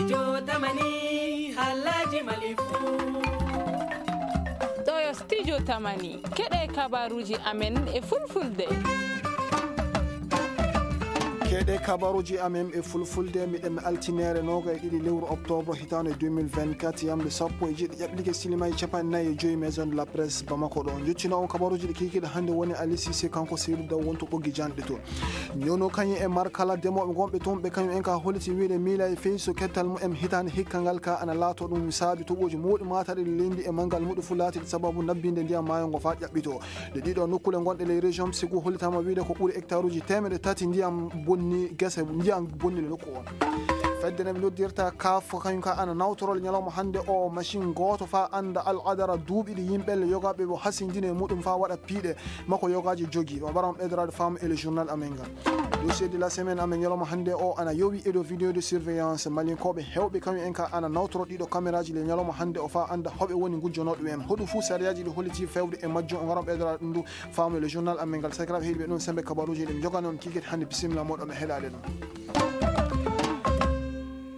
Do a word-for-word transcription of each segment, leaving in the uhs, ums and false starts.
Jotamani, Alhaji Malifu. Ɗo yo Studio Tamani. Keɗe kabaruuji amen e fulfulde. Keɗe kabaruuji amen e fulfulde, miɗen altine noogay e ɗiɗi lewru oktoobre hitaande deux mille vingt-quatre, yamde sappo e jeeɗiɗi ƴaɓɓike silimaji capanɗe nayi e joy Maison de la Presse Bamako ɗo. Njottino on kabaruuji ɗi kiikiiɗe hannde woni Ali Cissé, kanko Seydou Daw wonto ɓoggi janɗe to. Ñono kañum e Markala, demooɓe gonɓe toon, ɓe kañum en ka holliti wiyde miila e fey so kettal mumen hitaande hikka ngal ka ana laato ɗum saabi toɓooji mawɗi maataɗi leydi e manngal muɗum fof laatiiɗi sababu nabbinde ndiyam maayo ngo faa ƴaɓɓitoo. Ɗe ɗiɗo nokkule gonɗe ley région Ségou hollitaama wiyde ko ɓuri hectare uji teemedde tati ndiyam bonni gese, ndiyam bonni le nokku on. Fedde nde ɓe noddirta kaaf kañum ka ana nawtoroo le ñalawma hannde o machine gooto faa annda al adara duuɓi ɗi yimɓe le yogaaɓe o hasindini e muɗum faa waɗa piiɗe makko yogaaji jogi. Ɗo mbaɗam ɓeydoraade faamu e le journal amen ngal. Dossier de la semaine amen ñalawma hannde o ana yowi e dow vidéo de surveillance. Malinkooɓe heewɓe kañum en ka ana nawtoro ɗiɗo caméraji le ñalawma hannde o faa annda hoɓe woni ngujjonooɓe en. Hoɗum fuu sariyaaji ɗi holliti fewde e majjum o ngaran ɓeydoraade ɗum ndu faamu e le journal amen ngal. Sakiraaɓe heɗiiɓe ɗum sembe kabaruuji ɗi mi jogani on kiikiiɗe hannde. Bisimilla mooɗon e heɗaade ɗum.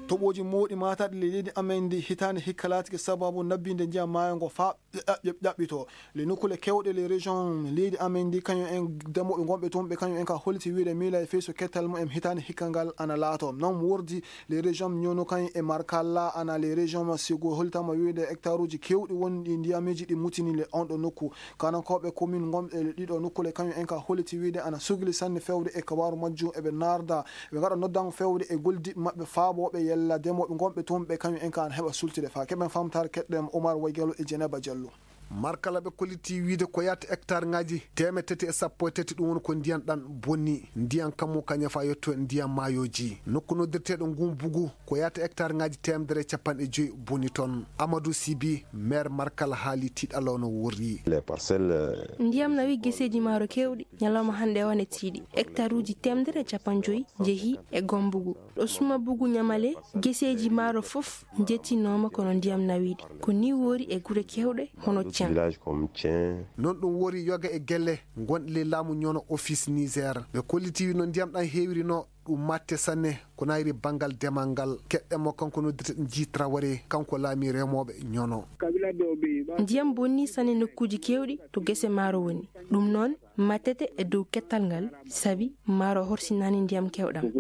Toɓooji mawɗi maataɗi le leydi amen ndi hitaande hikka laatike sababu nabbinde ndiyam maayo ngo faa ƴaɓ-, ƴaɓɓitoo. Le nokkule keewɗe le région leydi amen ndi, kañum en demooɓe gonɓe toon, ɓe kañum en ka holliti wiyde miila e fey so kettal mumen hitaande hikka ngal ana laato. Non wordi le région ñono kañum e Markalla ana le région Ségou hollitaama wiyde hectare uji keewɗi wonɗi ndiyamiji ɗi mutini le on ɗo nokku. Kanankooɓe commune gonɓe le ɗiɗo nokkule kañum en ka holliti wiyde ana sugli sanne fewde e kabaaru majjum eɓe naarda Ɓe ngaɗa noddaango fewde e gollidiiɓe maɓɓe faabooɓe yalla demooɓe gonɓe toon ɓe kañum en kaa ana heɓa sultude faa keɓen faamtaare keɗɗen Omar Waygalo e Jeneba Jallo. Markala ɓe kollitii wiyde ko yahata hectareŋaaji teemedde tati e sappo e tati, ɗum woni ko ndiyan ɗan bonni. Ndiyan kammu kañum faa yetto ndiyan maayooji. Nokku noddirteeɗo Ngumbugu ko yahata hectareŋaaji teemedere e capanɗe joy bonni ton. Amadou Sibi, maire Markala haali tiiɗalla o no worri. Les parcelles, euh, Ndiyam nawi geseeji maaro keewɗi. Ñalawma hannde o ne tiiɗi. Hektaruuji teemedere e capanɗe joy njehii e Gombugu. Ɗo Sumabugu Ñamale, geseeji maaro fof njetinooma kono ndiyam nawiiɗi. Ko nii woori e gure keewɗe hono Cen. Village comme Cen. Non ɗum woori yoga e gelle gonɗe ley laamu ñono office Niger. Ɓe kollitii no ndiyam ɗam heewiri no ɗum matte sanne ko naayiri banngal demal ngal. Keɗɗen mo kanko noddirte Jii Traoré, kanko laamii remooɓe ñono. Ndiyam bonnii sanne nokkuuji keewɗi to gese maaro woni. Ɗum noon, matete e dow kettal ngal, sabi maaro horsinaani ndiyam keewɗam.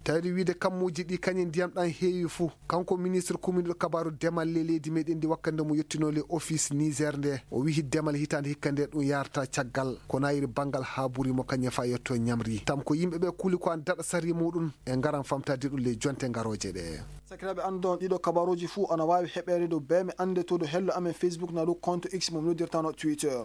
Tawde wiide kammuuji ɗi kañum ndiyam ɗam heewi fuu. Kanko ministre kuminɗo kabaaru demal ley leydi meɗen ndi wakkande mo yettinoo le office Niger nde, o wihi demal hitaande hikka nde ɗum yaarata caggal. Ko naayiri banngal haa buri mo kañum faa yetto ñamri. Tam ko yimɓe ɓe kuli ko an daɗa sari muɗum e ngaran famtade ɗum ley jonte ngarooje ɗe. Sakiraaɓe, anndon ɗiɗo kabaruuji fuu ana waawi heɓeede dow beeme annde to dow hello amen Facebook na dow compte X mo mi noddirtano Twitter.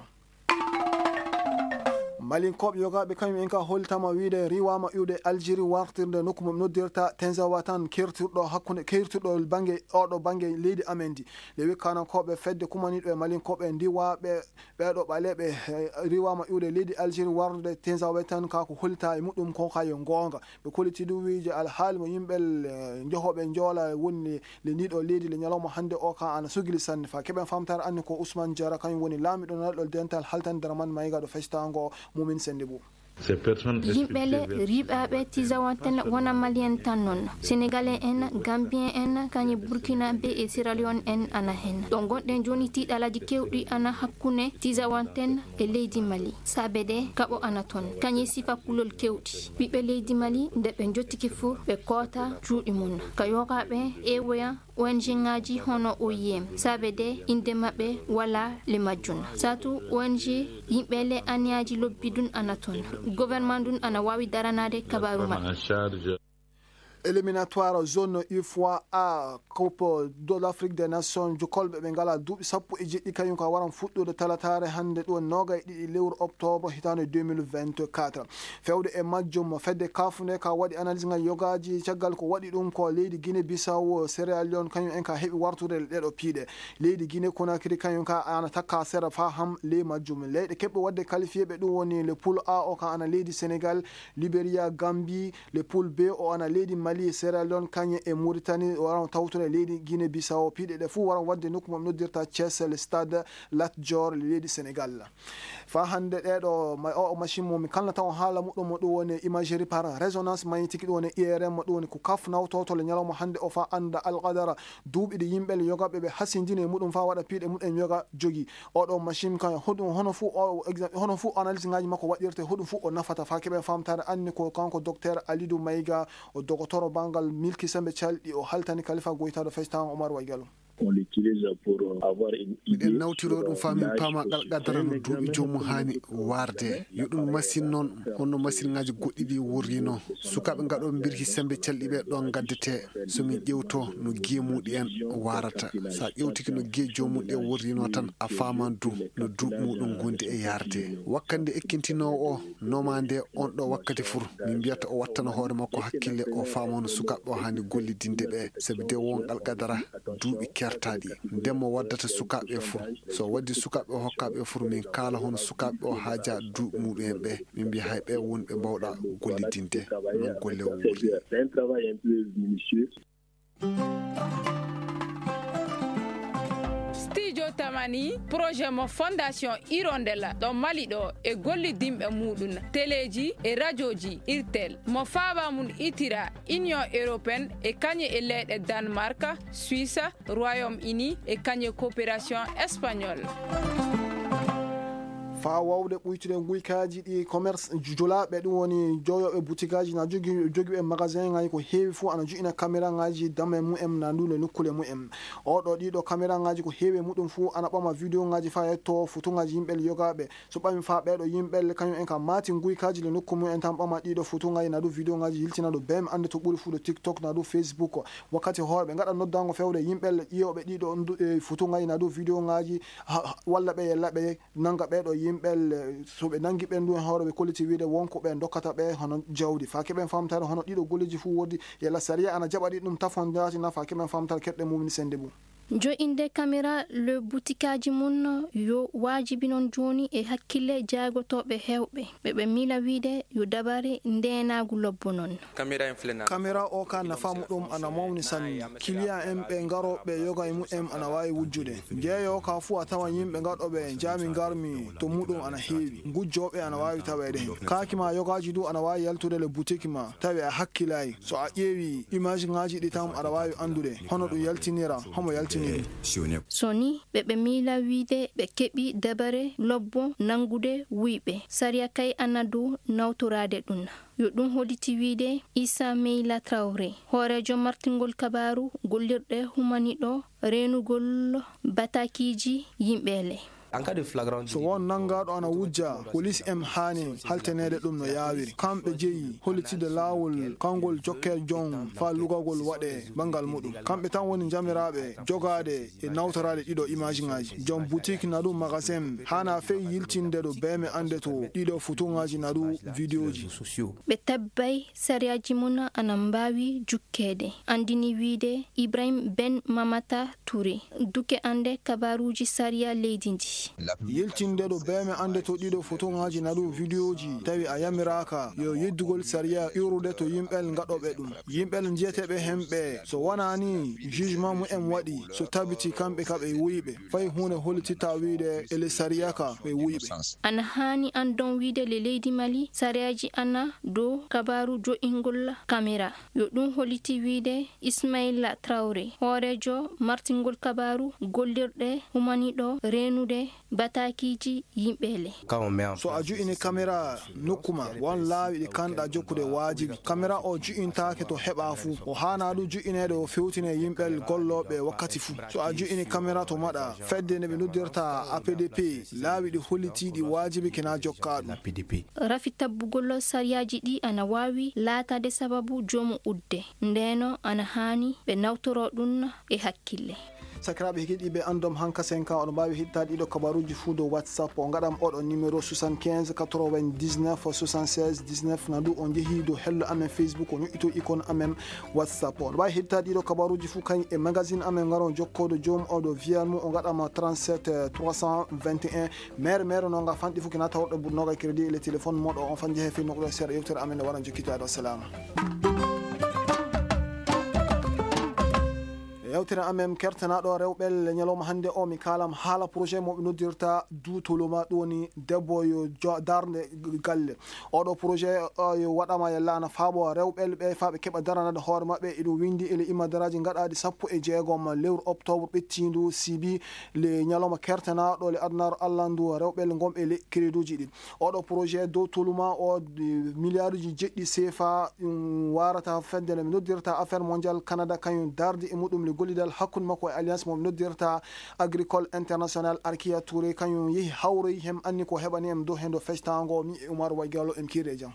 Malinkooɓe yogaaɓe kañum en ka hollitaama wiide riiwaama iwde Algérie wartirde nokku mo noddirta Tinzaouatane, keertirɗo hakkunde, keertirɗo bannge, oɗo bannge leydi amen ndi. Le wikkanankooɓe fedde kumaniiɗo e Malinkooɓe ndiwaaɓe ɓeeɗo ɓaleeɓe, eh, riiwaama iwde leydi Algérie warde Tinzaouatane ka ko hollitaa e muɗum ko ka yo goonga. Ɓe kollitii ɗum wiide alhaali mo yimɓe, eh, njehooɓe njoola woni le ndiɗo leydi le ñalawma hannde o ka ana sugili sanne. Faa keɓen famtaare anne ko Ousmane Diarra, kañum woni laamiɗo nanɗo dental haltande Dramane Maïga ɗo festaango Momin Sendibou. Yimɓe le riiɓaaɓe Tinzaouatane wona Malien tan non. Sénégalais en, Gambien en, kañum Burkinabé e Sierra Leone en ana hen. Ɗo ngonɗen jooni tiiɗalaaji keewɗi ana hakkunde Tinzaouatane e leydi Mali. Saabe de kaɓo ana ton. Kañum sifa kulol keewɗi. Ɓiɓɓe leydi Mali, nde ɓe njottike fuu, ɓe koota cuuɗi mum. Ka yogaaɓe ewoya O N G ŋaaji hono O I M, saabe de innde maɓɓe walaa le majjun. Saatu O N G, yimɓe le aniyaaji lobbi dun ana ton. Gouvernement dun ana waawi daranaade kabaaru maɓɓe. Éliminatoire zone U F O A, Coupe de l'Afrique des Nations, jokolɓe ɓe ngalaa duuɓi sappo e jeɗɗi, kañum ka waran fuɗɗude talataare hannde ɗo noogay e ɗiɗi lewru octobre hitaande deux mille vingt-quatre. Fewde e majjum, fedde kaafu nde ka waɗi analyse ngal yogaaji, caggal ko waɗi ɗum ko leydi Guinée Bissau, Sierra Leone, kañum en ka heɓi wartude e ɗeɗo piiɗe. Leydi Guinée Conakry kañum ka ana takka sera faa ham ley majjum. Leyɗe keɓɓe waɗde qualifié ɓe ɗum woni le poule A o ka ana leydi Sénégal, Libéria, Gambie, le poule B o ana leydi Mali, Sierra Leone, kañe e Mauritanie, waran tawtude leydi Guinée Bissau. Piɗe ɗe fuu waran waɗde nokku mo ɓe noddirta Thiès, le stade Lat Dior, leydi Sénégal. Faa hannde ɗeeɗo ma-, o machine mo mi kalnata on haala muɗum mo ɗum woni imagerie par résonance magnétique, ɗum woni I R M, ɗum woni ko kaf nawtoto le ñalawma hannde o faa annda alqadara duuɓi ɗi yimɓe le yoga ɓe ɓe hasindini e muɗum faa waɗa piiɗe muɗum yoga jogi. Oɗo machine kan hoɗum hono fuu o exa-, hono fuu analyse ngaji makko waɗirte, hoɗum fuu o nafata faa keɓen famtaare anni ko kanko docteur Alidou Maïga, o dogotoro banngal milki sembe calɗi, o haltani kalifa goytaɗo festan Omar Waygalo. On l'utilise pour avoir une idée. Miɗen nawtiroo ɗum faa min paama alqadara no duuɓi joomum haani waarde. Yo ɗum masin noon, honno masinŋaaji goɗɗi ɗi worrinoo. Sukaaɓe ngaɗooɓe mbirki sembe calɗi ɓe ɗoon ngaddetee. So min ƴeewtoo no giye muuɗum en waarata. So a ƴeewtike no giye joomum ɗe worrinoo tan, a faaman du no duuɓi muuɗum ngondi e yaarde. Wakkati nde ekkintinoowo o nomaande on ɗo wakkati fur, min mbiyata o wattana hoore makko hakkille, o faama no sukaaɓe o haani gollidinde ɓe, sabi de won alqadara duuɓi kertaaɗi. Nden mo waddata sukaaɓe fur. So waddi sukaaɓe o hokkaaɓe fur, min kaala hono sukaaɓe o haajaa duuɓi muuɗum en ɓe. Min mbiya hay ɓe woni ɓe mbawɗa gollidinde no golle o wuuri. Studio Tamani, projet mo Fondation Hirondelle ɗo Mali ɗo e gollidinɓe muuɗum, teleeji e rajooji Irtel, mo faaba mum itira Union Européenne e kañe e leyɗe Danemark, Suisse, Royaume-Uni e kañe coopération espagnole. Faa waawde ɓuytude nguykaaji ɗi commerce julaaɓe, ɗum woni jooyooɓe butikaaji na jogi, jogiiɓe magasin ŋaaji ko heewi fuu ana joƴina kameraaŋaaji dame mumen na ndu nde nokkuule mumen. Oɗo ɗiɗo kameraaŋaaji ko heewi e muɗum fuu ana ɓama vidéo ŋaaji faa yetto foto ŋaaji yimɓe le yogaaɓe. So ɓami faa ɓeeɗo yimɓe le kañum en ka maati nguykaaji le nokku mumen tan ɓama ɗiɗo foto ŋaaji na du vidéo ŋaaji yiltina ɗo bee mi annde to ɓuri fuu ɗo TikTok na du Facebook. Wakkati hoore ɓe ngaɗa noddaango fewde yimɓe le ƴiyooɓe ɗiɗo ndu-, e foto ŋaaji na du vidéo ŋaaji ha, ha, walla ɓe yella ɓe nannga ɓeeɗo yimɓe le, so ɓe nanngi ɓe ndu en hoore ɓe kolliti wiide won ko ɓe ndokkata ɓe hono jawdi. Faa keɓen famtaare hono ɗiɗo golleeji fuu woodi yalla sariya ana jaɓa ɗi ɗum tafon jaati na faa keɓen famtaare keɗɗe mum ni sennde mum. Jo'inde kamera le butikaaji mum yo waajibi non jooni e hakkille jaagotooɓe heewɓe. Ɓe ɓe miila wiide yo dabare ndeenaagu lobbo non. Kamera o ka nafa muɗum ana mawni sanne. Kiliyan en ɓe ngarooɓe yoga e mumen ana waawi wujjude. Njeeyo ka fuu a tawan yimɓe gaɗooɓe jaami ngarmi to muɗum ana heewi. Ngujjooɓe ana waawi taweede hen. Kaaki ma yogaaji du ana waawi yaltude le butiki ma tawi a hakkilaay. So a ƴeewi image ŋaaji ɗi tan aɗa waawi anndude hono ɗum yaltinira, homo yaltini ɗum. So ni ɓe ɓe miila wiide ɓe keɓi dabare lobbo nanngude wuyɓe. Sariya kay ana dow nawtoraade ɗum. Yo ɗum holliti wiide Issa Meyla Traoré, hooreejo martingol kabaaru gollirɗe humaniɗo reenugol batakiiji yimɓe le. So won nanngaaɗo ana wujja, polis en haani haltaneede ɗum no yaawiri. Kamɓe jeyi hollitinde laawol kangol jokkee jon faa lugagol waɗee banngal muɗum. Kamɓe tan woni njamiraaɓe jogaade e nawtoraade ɗiɗo image ŋaaji. Joom boutique na ɗum magasin haana fey yiltinde ɗo beeme annde to ɗiɗo foto ŋaaji na ɗum vidéo ji. Ɓe tabbay sariyaaji mum ana mbaawi jukkeede, anndini wiide Ibrahim Ben Mamata Touré, duke annde kabaaruuji sariya leydi ndi. Yiltinde ɗo beeme annde to ɗiɗo foto ŋaaji na ɗum vidéo ji, tawi a yamiraaka yo yeddugol sariya iwrude to yimɓe ngaɗooɓe ɗum. Yimɓe njiyeteeɓe hemɓe, so wonaa nii jugement mumen waɗi, so tabiti kamɓe ka ɓe wuyɓe, fay huunde hollititta wiide e ley sariya ka ɓe wuyɓe. Ana haani anndon wiide le leydi Mali, sariyaaji ana dow kabaaru jo'ingol kamera. Yo ɗum holliti wiide Ismaila Traoré, hooreejo martingol kabaaru gollirɗe humaniɗo reenude batakiiji yimɓe le. So a ju'ini kamera nokku ma, won laawi ɗi kanɗa jokkude waajibi. Kamera o ju'intaake to heɓa fuu. O haana ɗum ju'ineede o fewtine yimɓe gollooɓe wakkati fuu. So a ju'ini kamera to maɗa, fedde nde ɓe noddirta A P D P, laawi ɗi hollitiiɗi waajibi kina jokkaa ɗum. Rafi tabbugol sariyaaji ɗi ana waawi laataade sababu joomu udde. Ndeenoo ana haani ɓe nawtoroo ɗum e hakkille. Sakiraaɓe heɗiiɓe Anndom Hankasen kan, oɗon mbaawi heɗitaade ɗiɗo kabaaruuji fuu dow WhatsApp. O ngaɗam oɗo numéro soixante-quinze quatre-vingt-dix-neuf soixante-seize dix-neuf. Na ɗum o njehii dow hello amen Facebook, o ñoƴƴitoo ikon amen WhatsApp. Oɗon mbaawi heɗitaade ɗiɗo kabaaruuji fuu kañ e magazine amen, ngaron jokkoodo joom oɗo viyal mum, o ngaɗam trente-sept trois cent vingt et un. Mere mere no nga fanɗi fuu kina tawrɗo buɗ noga crédit e le téléphone moɗo on fan jehe fii noɗo seeɗa yewtere amen nde waran jokkitaade. Wassalama. Yewtere amen kertanaaɗo rewɓe le ñalawma hannde o, mi kaalam haala projet mo ɓe noddirta Duutoloma, ɗum woni debbo yo jo-, darnde galle. Oɗo projet, o, yo waɗama yalla ana faabo rewɓe ɓe faa ɓe keɓa daranaade hoore maɓɓe. Eɗum winndi e le immadaraaji gaɗaaɗi sappo e jeegom lewru octobre ɓettiindu, sibi le ñalawma kertanaaɗo le adunaaru Alla ndu, rewɓe le ngonɓe le crédit uji ɗi. Oɗo projet Duutoloma o, de, miliyaaruuji jeɗɗi seefa, um, waarata fedde nde ɓe noddirta Affaire Mondiale Canada, kañum dardi e muɗum le gollidal hakkunde makko e alliance mo ɓe noddirta Agricole International. Arkiya Touré kañum yehi hawroyi hem anni ko heɓani em dow hendo fectaango. Mi e Umar Wagalo em kiire jam.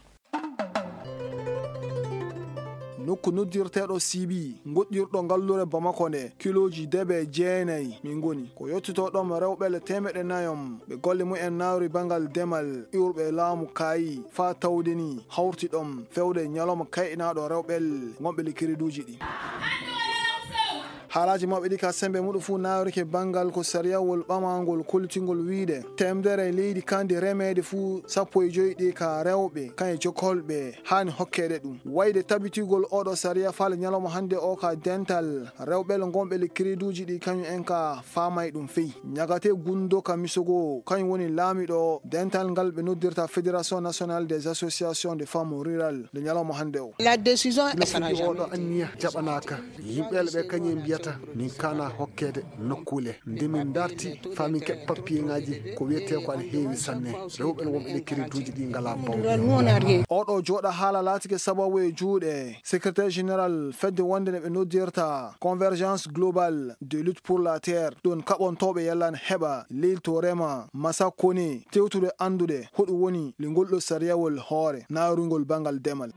Nokku noddirteeɗo Sibi, ngoɗɗirɗo ngallure Bamako nde, kilooji debe jeenayi min ngoni. Ko yettotoo ɗoon rewɓe le teemeɗɗe nayom, ɓe golle mumen nawri banngal demal, iwruɓe e laamu kaayi, faa tawde ni hawti ɗoon feewde ñalawma kayɗinaaɗo rewɓe le ngonɓe le crédit uji ɗi. Haalaaji maɓɓe ɗi ka semmbe muɗum fuu naawrike banngal ko sariyawol ɓamaangol kollitingol wiyde teemedere leydi kandi remeede fuu sappo e joy ɗi ka rewɓe, kañe jokolɓe haani hokkeede ɗum. Wayde tabitigol oɗo sariya faa le ñalawma hannde o ka dental rewɓe le ngonɓe le crédit uji ɗi kañum en ka faamay ɗum fey. Ñagate Gundo ka Misogo, kañum woni laamiɗo dental ngal ɓe noddirta Fédération Nationale des Associations de Femmes Rurales le ñalawma hannde o. La décision est arrangée. Oɗo anniya jaɓanaaka. Yimɓe ɓe kañum en mbiyata min kaana hokkeede nokkuule. Nde min ndarti faa min keɓa papiyeŋaaji, ko wiyetee ko ana heewi sanne. Rewɓe ene wonɓe ɗe crédit uji ɗi ngalaa bawɗe. Oɗo jooɗa haala laatike sababu e juuɗe secrétaire général fedde wonde nde ɓe noddirta Convergence Globale de Lutte pour la Terre. Ɗon kaɓontooɓe yalla ana heɓa leydi to rema Masakone tewtude anndude hoɗum woni le ngol ɗo sariyawol hoore naarungol banngal demal.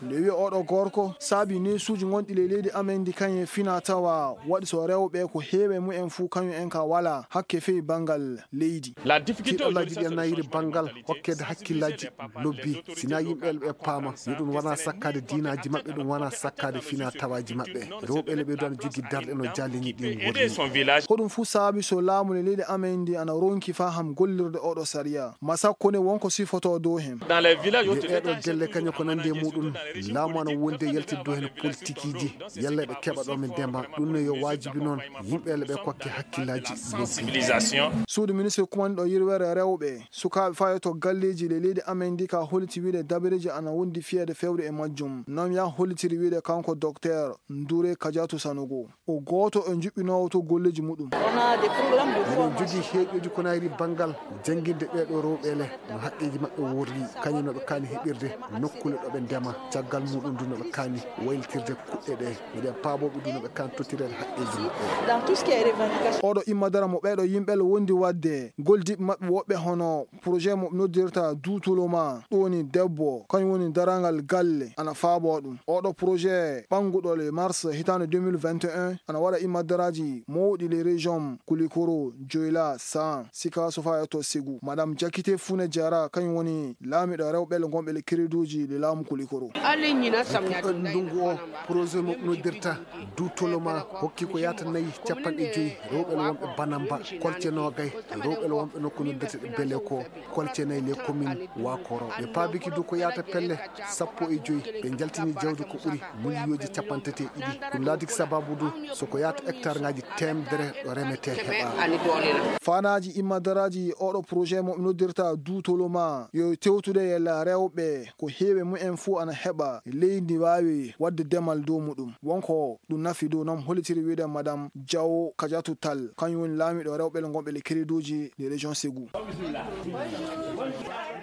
Nde wiya oɗo gorko, saabi neesuuji gonɗi ley leydi amen ndi kañum e fina tawa waɗi so rewɓe ko heewi e mumen fuu kañum en ka walaa hakke fey banngal leydi. Tiiɗallaaji ɗi ana yiri banngal hokkeede hakkillaaji lobbi, sinaa yimɓe ɓe paama yo ɗum wonaa sakkaade diinaaji maɓɓe, ɗum wonaa sakkaade fina tawaaji maɓɓe. Rewɓe le ɓe ɗon jogii darɗe no jaalini ɗin worri. Ko ɗum fuu saabi so laamu le leydi amen ndi ana ronki faham gollirde oɗo sariya. Masakko ne won ko sifotoo dow hen. Dans les villages, yo e ɗeeɗo gelle kañum ko nandi e muɗum, laamu ana wondi e yaltidde dow hen politikiiji, yalla ɓe keɓa ɗo ɓe ndema. Ɗum ne yo waajibi noon yimɓe le ɓe kokke hakkillaaji lobbi. Suudu ministre kumanɗo yirwere rewɓe, sukaaɓe faa yotto galleeji le leydi amen ndi ka holliti wiide dabareeji ana wondi fiyeede fewde e majjum. Noon ya hollitiri wiide kanko Dokteer Ndure Kajatu Sanogo. O gooto e njuɓɓinoowo to golleeji muɗum. Miɗen jogii heeƴooji ko naayri banngal jannginde ɓeeɗo rewɓe le, no haqqeeji maɓɓe worri, kañum no ɓe kaani heɓirde nokkuule ɗo ɓe ndema, caggal muɗum du no ɓe kaani waylitirde kuɗɗe ɗe. Miɗen paaboo ɓe du no ɓe kaani tottireede haqqeeji maɓɓe. Oɗo imma dara mo ɓeeɗo yimɓe le wondi waɗde, gollidiiɓe maɓɓe woɓɓe hono projet mo noddirta Duutoloma, ɗum woni debbo, kañum woni darangal galle, ana faaboo ɗum. Oɗo projet ɓannguɗo le mars hitaande deux mille vingt et un, ana waɗa immadaraaji mawɗi le région Kulikoro, Joyla, San, Sikaso faa e to Segu. Madame Jakite Fune Jara, kañum woni laamiiɗo rewɓe le ngonɓe le crédit uji le laamu Kulikoro. Ɗon ndungu o, projet mo noddirta Duutoloma hokki ko yaata nayi capanɗe joyi rewɓe le wonɓe Banamba, kolce noogay rewɓe le wonɓe nokku no mbiyetee Beleko, kolce nayi le commune Wakoro. Ɓe paabiki du ko yaata pelle sappo e joyi, ɓe njaltini jawdi ko ɓuri miliyonji capanɗe tati e ɗiɗi. Ɗum laatiki sababu du so ko yaata hectare ngaaji teemedere ɗo remetee heɓa. Faanaaji immadaraaji oɗo projet mo noddirta Duutoloma yo tewtude yalla rewɓe ko heewi mumen fuu ana heɓa leydi waawi waɗde demal dow muɗum. Wonko ɗum nafi dow noon hollitiri wiide Madame Diawo Kadiatou Tall, kañum woni laamiiɗo rewɓe le ngonɓe le crédit uji le région Ségou.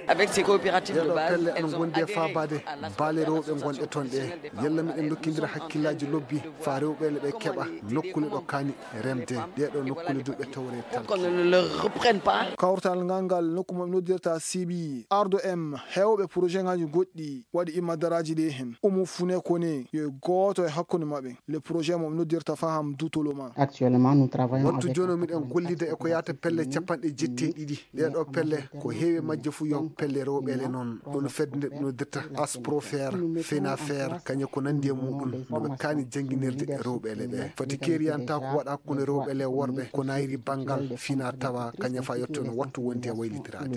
Avec ces coopératives de base, elles ont adhéré à l'association professionnelle des femmes professionnelles de santé. Yalla miɗen ndokkindira hakkillaaji lobbi faa rewɓe le ɓe keɓa nokkuule ɗo kaani remde. Ɗee ɗoo nokkuule du ɓe tawree tan. Qu'on ne le reprenne pas. Kawtal ngal ngal nokku mo noddirta Sibi, Ardo M, heewɓe projet ngaaji goɗɗi waɗi immadaraaji ɗi heen. Umu Fune Kone yo gooto e hakkunde maɓɓe. Le projet mo noddirta Faham Dutoloma. Actuellement, nous travaillons avec... Wattu jooni o miɗen gollida e ko yaata pelle capanɗe jetti e ɗiɗi. Ɗee ɗoo pelle ko heewi majje fuu yo pelle rewɓe le noon, ɗoon fedde nde ɓe noddirta Asprofer, Fenafer, kañe ko nanndi e muuɗum, no ɓe kaani jannginirde rewɓe le ɓee. Fati keeriyantaako waɗa hakkunde rewɓe le worɓe, ko naayiri banngal fina tawa kañe fa yetto no wattu wonti e waylitiraade.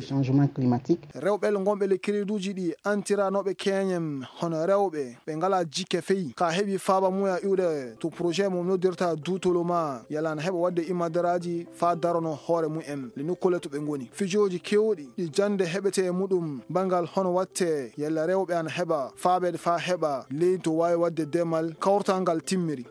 Rewɓe le ngonɓe le kereduuji ɗi antiranooɓe keeñen hono rewɓe ɓe ngalaa jikke fey, ka heɓi faaba mum e iwde to projet mo noddirta duutolo ma yalla ana heɓa waɗde imadaraaji faa darono hoore mum en le nokkuule to ɓe ngoni. Fijooji keewɗi ɗi jannde heɓetee e muɗum banngal hono waɗte yalla rewɓe ana heɓa faabeede faa heɓa leydi to waawi waɗde demal kawtal ngal timmiri.